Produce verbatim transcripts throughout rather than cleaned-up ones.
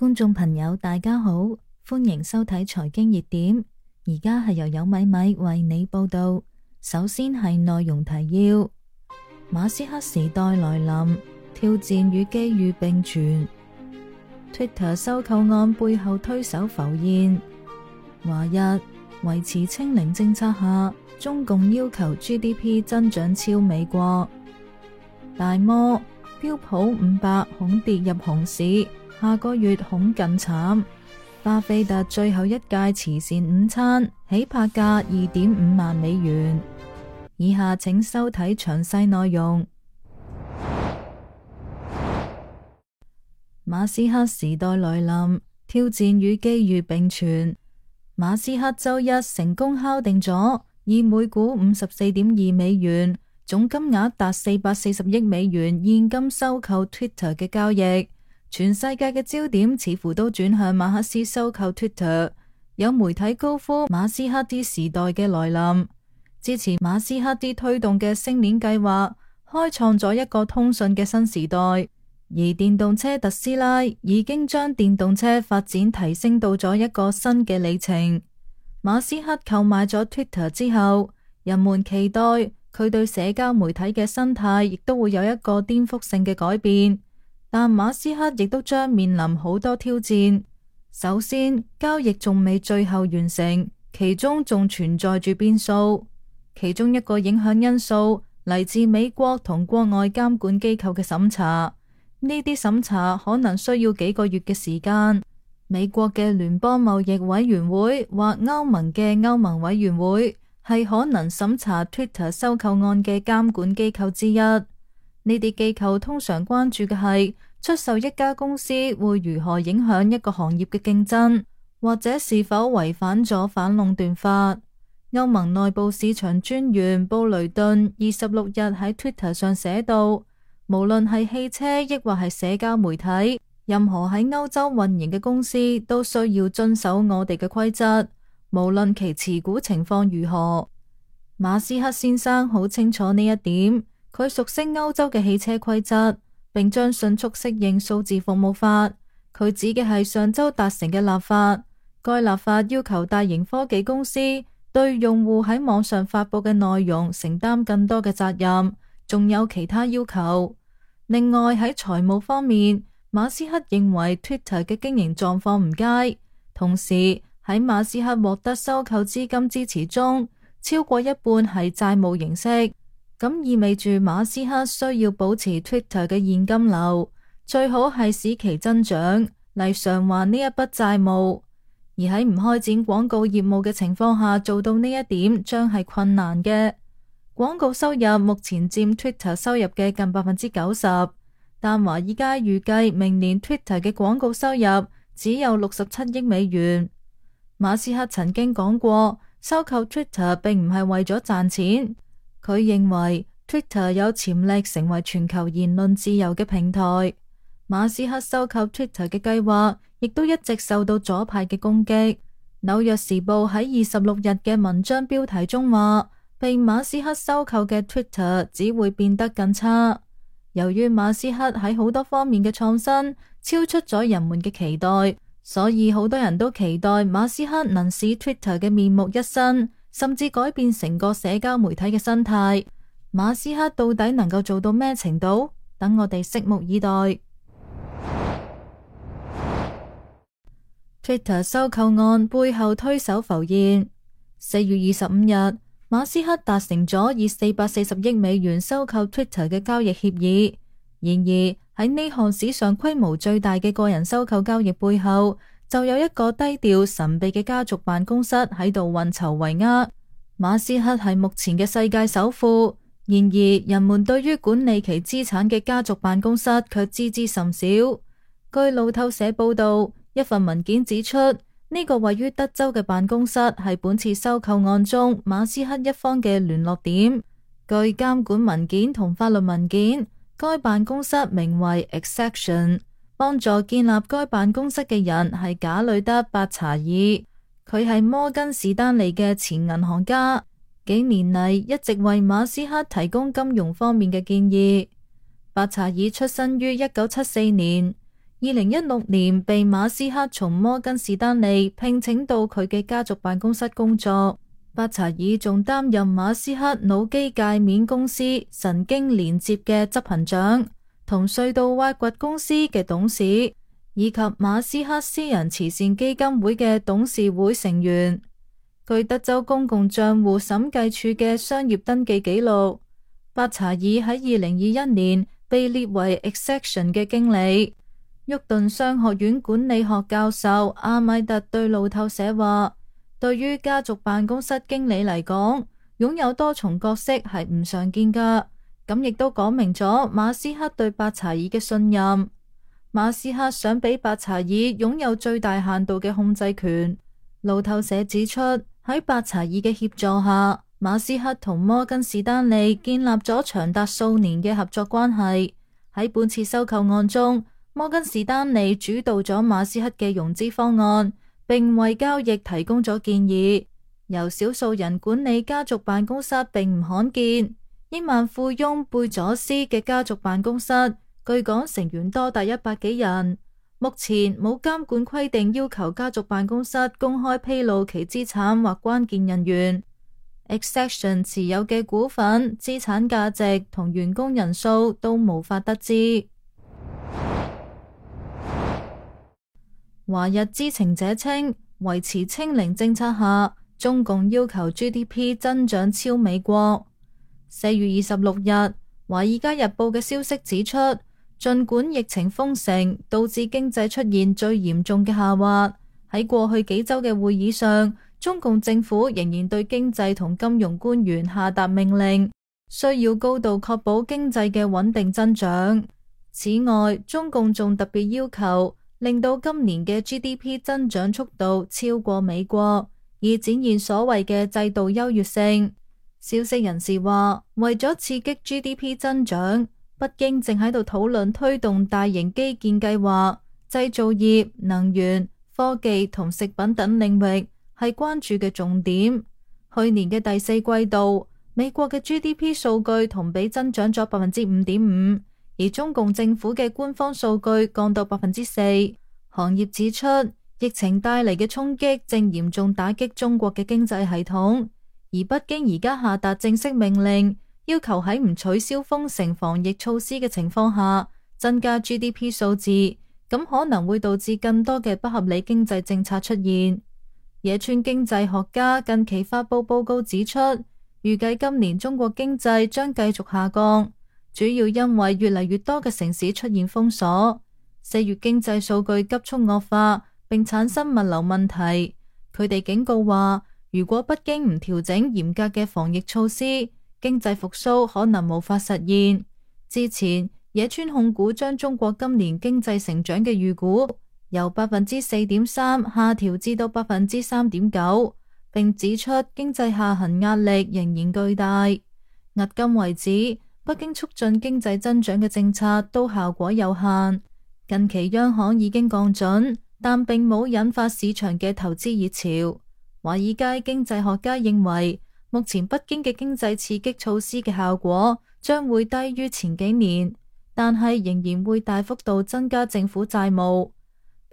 觀眾朋友大家好，歡迎收睇財經熱點。而家係由有米米為你報道。首先係內容提要：馬斯克時代來臨，挑戰與機遇並存。Twitter 收購案背後推手浮現。華日維持清零政策下，中共要求 G D P 增長超美國。大摩標普五百恐跌入熊市，下個月恐更慘。巴菲特最後一屆慈善午餐起拍價二點五萬美元。以下請收睇詳細內容。馬斯克時代來臨，挑戰與機遇並存。馬斯克周一成功敲定咗以每股五十四點二美元，總金額達四百四十億美元現金收購 Twitter 嘅交易。全世界嘅焦點似乎都轉向馬克思收購 Twitter， 有媒體高呼馬斯克啲時代嘅來臨，支持馬斯克啲推動嘅星鏈計劃，開創咗一個通訊嘅新時代。而電動車特斯拉已經將電動車發展提升到咗一個新嘅里程。馬斯克購買咗 Twitter 之後，人們期待佢對社交媒體嘅生態亦都會有一個顛覆性嘅改變。但馬斯克亦都將面臨好多挑戰。首先，交易仲未最後完成，其中仲存在住變數。其中一個影響因素嚟自美國同國外監管機構嘅審查，呢啲審查可能需要幾個月嘅時間。美國嘅聯邦貿易委員會或歐盟嘅歐盟委員會係可能審查 Twitter 收購案嘅監管機構之一。呢啲機構通常關注嘅係出售一家公司會如何影響一個行業嘅競爭，或者是否違反咗反壟斷法。歐盟內部市場專員布雷頓二十六日喺 Twitter 上寫道，無論係汽車抑或係社交媒體，任何喺歐洲運營嘅公司都需要遵守我哋嘅規則，無論其持股情況如何。馬斯克先生好清楚呢一點。佢熟悉歐洲嘅汽車規則，並將迅速適應數字服務法。佢指嘅係上周達成嘅立法。該立法要求大型科技公司對用戶喺網上發佈嘅內容承擔更多嘅責任，仲有其他要求。另外喺財務方面，馬斯克認為 Twitter 嘅經營狀況唔佳，同時喺馬斯克獲得收購資金支持中，超過一半係債務形式。咁意味住馬斯克需要保持 Twitter 嘅現金流，最好係使其增長嚟償還呢一筆債務。而喺唔開展廣告業務嘅情況下做到呢一點，將係困難嘅。廣告收入目前佔 Twitter 收入嘅近百分之九十，但華爾街預計明年 Twitter 嘅廣告收入只有六十七億美元。馬斯克曾經講過，收購 Twitter 並唔係為咗賺錢。佢認為 Twitter 有潛力成為全球言論自由嘅平台。馬斯克收購 Twitter 嘅計劃亦都一直受到左派嘅攻擊。紐約時報喺二十六日嘅文章標題中話，被馬斯克收購嘅 Twitter 只會變得更差。由於馬斯克喺好多方面嘅創新超出咗人們嘅期待，所以好多人都期待馬斯克能使 Twitter 嘅面目一新，甚至改變成個社交媒體嘅生態。馬斯克到底能夠做到咩程度？等我哋拭目以待。Twitter 收購案背後推手浮現。四月二十五日，馬斯克達成咗以四百四十億美元收購 Twitter 嘅交易協議。然而喺呢項史上規模最大嘅個人收購交易背後，就有一個低調神秘嘅家族辦公室喺度運籌帷幄。馬斯克係目前嘅世界首富，然而人們對於管理其資產嘅家族辦公室卻知之甚少。據路透社報道，一份文件指出，呢、這個位於德州嘅辦公室係本次收購案中馬斯克一方嘅聯絡點。據監管文件同法律文件，該辦公室名為 Exaction。幫助建立該辦公室嘅人係賈里德·伯查爾，佢係摩根士丹利嘅前銀行家，幾年嚟一直為馬斯克提供金融方面嘅建議。伯查爾出生於一九七四年，二零一六年被馬斯克從摩根士丹利聘請到佢嘅家族辦公室工作。巴查爾仲擔任馬斯克腦機界面公司神經連接嘅執行長，同隧道挖掘公司嘅董事，以及馬斯克私人慈善基金會嘅董事會成員。據德州公共賬戶審計處嘅商業登記記錄，巴查爾喺二零二一年被列為 Exaction 嘅經理。沃頓商學院管理學教授阿米特對路透社話，對於家族辦公室經理嚟講，擁有多重角色係唔常見噶，咁亦都講明咗馬斯克對巴查爾嘅信任。馬斯克想俾巴查爾擁有最大限度嘅控制權。路透社指出，喺巴查爾嘅協助下，馬斯克同摩根士丹利建立咗長達數年嘅合作關係。喺本次收購案中，摩根士丹利主導咗馬斯克嘅融資方案，並為交易提供咗建議。由少數人管理家族辦公室並唔罕見。億萬富翁貝佐斯嘅家族辦公室據講成員多達一百幾人。目前冇監管規定要求家族辦公室公開披露其資產或關鍵人員。Exaction 持有嘅股份、資產價值同員工人數都無法得知。華日知情者稱，維持清零政策下，中共要求 G D P 增長超美國。四月二十六日，《華爾街日報》嘅消息指出，儘管疫情封城導致經濟出現最嚴重嘅下滑，喺過去幾週嘅會議上，中共政府仍然對經濟同金融官員下達命令，需要高度確保經濟嘅穩定增長。此外，中共仲特別要求令到今年嘅 G D P 增長速度超過美國，以展現所謂嘅制度優越性。消息人士話，為咗刺激 G D P 增長，北京正喺度討論推動大型基建計劃，製造業、能源、科技同食品等領域係關注嘅重點。去年嘅第四季度，美國嘅 G D P 數據同比增長咗百分之五點五。而中共政府嘅官方數據降到百分之四。行業指出，疫情帶嚟嘅衝擊正嚴重打擊中國嘅經濟系統，而北京而家下達正式命令，要求喺唔取消封城防疫措施嘅情況下，增加 G D P 數字，咁可能會導致更多嘅不合理經濟政策出現。野村經濟學家近期發佈報告指出，預計今年中國經濟將繼續下降。主要因為越嚟越多嘅城市出現封鎖，四月經濟數據急速惡化，並產生物流問題。佢哋警告話，如果北京唔調整嚴格嘅防疫措施，經濟復甦可能無法實現。之前，野村控股將中國今年經濟成長嘅預估由百分之四點三下調至到百分之三點九，並指出經濟下行壓力仍然巨大。迄今為止，北京促進經濟增長嘅政策都效果有限。近期央行已經降準，但並冇引發市場嘅投資熱潮。華爾街經濟學家認為，目前北京嘅經濟刺激措施嘅效果將會低於前幾年，但係仍然會大幅度增加政府債務。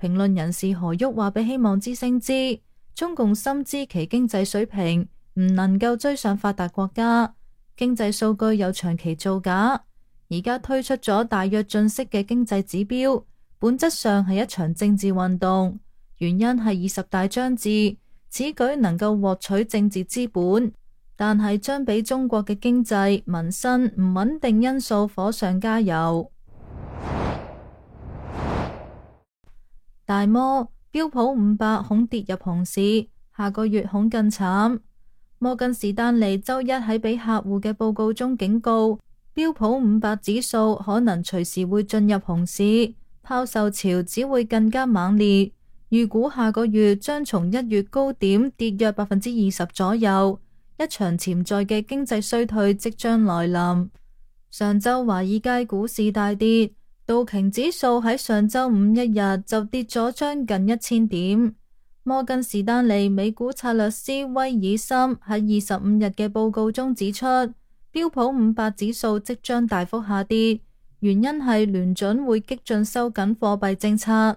評論人士何旭話俾希望之聲知，中共深知其經濟水平唔能夠追上發達國家。經濟數據有長期造假，而家推出咗大躍進式嘅經濟指標，本質上係一場政治運動。原因係二十大將至，此舉能夠獲取政治資本，但係將俾中國嘅經濟民生唔穩定因素火上加油。大摩標普五百恐跌入熊市，下個月恐更慘。摩根士丹利周一喺俾客戶嘅報告中警告，標普五百指數可能隨時會進入熊市，拋售潮只會更加猛烈。預估下個月將從一月高點跌約百分之二十左右，一場潛在嘅經濟衰退即將來臨。上周華爾街股市大跌，道瓊指數喺上周五一日就跌咗將近一千點。摩根士丹利美股策略師威爾森喺二十五日嘅報告中指出，標普五百指數即將大幅下跌，原因係聯準會激進收緊貨幣政策。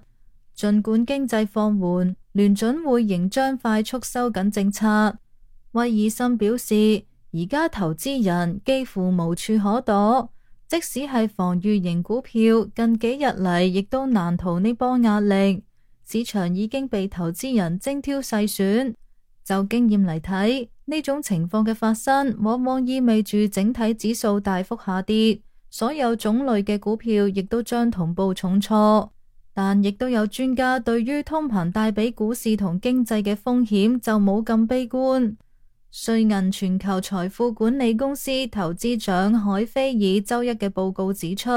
儘管經濟放緩，聯準會仍將快速收緊政策。威爾森表示，而家投資人幾乎無處可躲，即使係防禦型股票，近幾日嚟亦都難逃呢波壓力。市場已經被投資人精挑細選。就經驗嚟睇，呢種情況嘅發生，往往意味住整體指數大幅下跌，所有種類嘅股票亦都將同步重挫。但亦都有專家對於通膨帶俾股市同經濟嘅風險就冇咁悲觀。瑞銀全球財富管理公司投資長海菲爾周一嘅報告指出，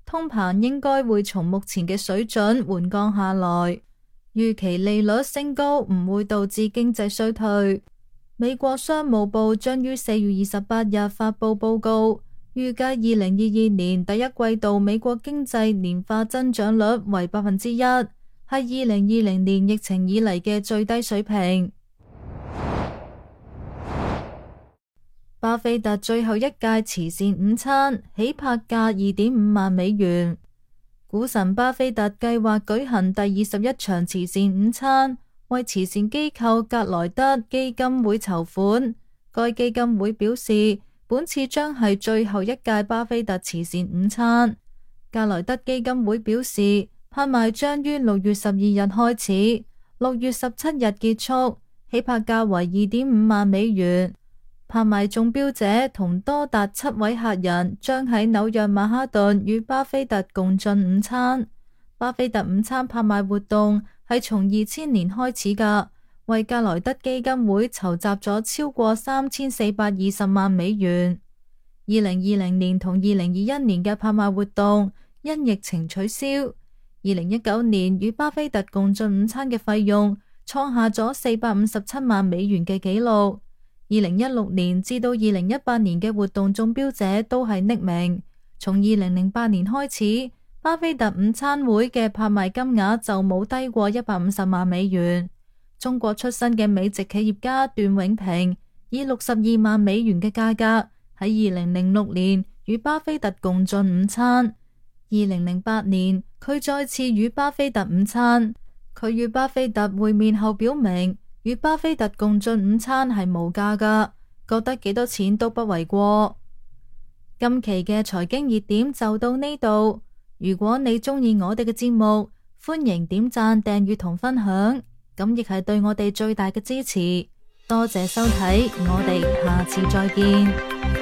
通膨應該會從目前嘅水準緩降下來，預期利率升高唔會導致經濟衰退。美國商務部將於四月二十八日發佈報告，預計二零二二年第一季度美國經濟年化增長率為百分之一，係二零二零年疫情以嚟嘅最低水平。巴菲特最後一屆慈善午餐起拍價二點五萬美元。股神巴菲特計劃舉行第二十一場慈善午餐，為慈善機構格萊德基金會籌款。該基金會表示，本次將係最後一屆巴菲特慈善午餐。格萊德基金會表示，拍賣將於六月十二日開始，六月十七日結束，起拍價為二點五萬美元。拍賣中標者同多達七位客人將喺紐約曼哈頓與巴菲特共進午餐。巴菲特午餐拍賣活動係從二千年開始㗎，為格萊德基金會籌集咗超過三千四百二十萬美元。二零二零年同二零二一年嘅拍賣活動因疫情取消。二零一九年與巴菲特共進午餐嘅費用創下咗四百五十七萬美元嘅紀錄。二零一六年至到二零一八年嘅活動中標者都係匿名。從二零零八年開始，巴菲特午餐會嘅拍賣金額就冇低過一百五十萬美元。中國出身嘅美籍企業家段永平以六十二萬美元嘅價格喺二零零六年與巴菲特共進午餐。二零零八年佢再次與巴菲特午餐，佢與巴菲特會面後表明，與巴菲特共進午餐係無價㗎，覺得幾多錢都不為過。今期嘅財經熱點就到呢度。如果你鍾意我哋嘅節目，歡迎點讚、訂閱同分享，咁亦係對我哋最大嘅支持。多謝收睇，我哋下次再見。